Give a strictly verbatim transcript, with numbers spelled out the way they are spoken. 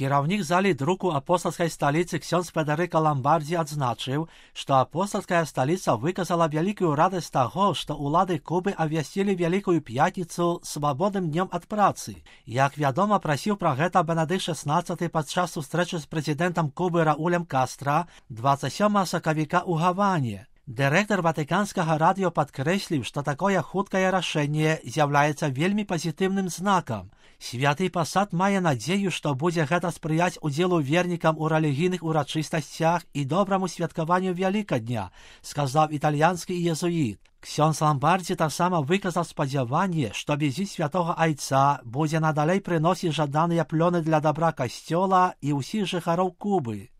Кіраўнік залі друку апостальскай сталіцы ксёндз Федэрыка Ламбардзі адзначыў, што апостальская сталіца выказала вялікую радасць таго, што ўлады Кубы абвясцілі Вялікую пятніцу свабодным днём ад працы. Як вядома, прасіў пра гэта Бенедыкт шаснаццаты падчас сустрэчы з прэзідэнтам Кубы Раулем Кастра дваццаць сёмага сакавіка ў Гаване. Дырэктар ватыканскага радыё падкрэсліў, што такое хуткае рашэнне з'яўляецца вельмі пазітыўным знакам. Святы пасад мае надзею, што будзе гэта спрыяць удзелу вернікам у рэлігійных урачыстасцях і добраму святкаванню Вялікадня, сказаў італьянскі езуіт. Ксёндз Ламбардзі таксама выказаў спадзяванне, што візіт святога айца будзе надалей прыносіць жаданыя плёны для дабра касцёла і ўсіх жыхароў Кубы.